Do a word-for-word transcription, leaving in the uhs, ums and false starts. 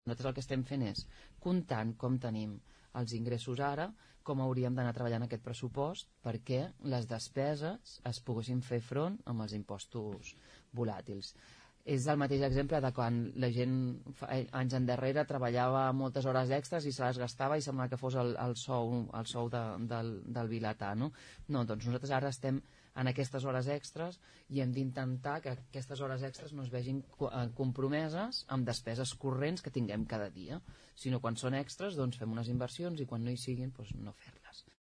Nosaltres el que estem fent és, comptant com tenim els ingressos ara, com hauríem d'anar treballant aquest pressupost perquè les despeses es poguessin fer front amb els impostos volàtils. És el mateix exemple de quan la gent anys endarrere treballava moltes hores extres i se les gastava i semblava que fos el, el sou, el sou de, del, del vilatà, no? No, doncs nosaltres ara estem en aquestes hores extres i hem d'intentar que aquestes hores extres no es vegin compromeses amb despeses corrents que tinguem cada dia, sinó quan són extres doncs fem unes inversions i quan no hi siguin doncs no fer-les.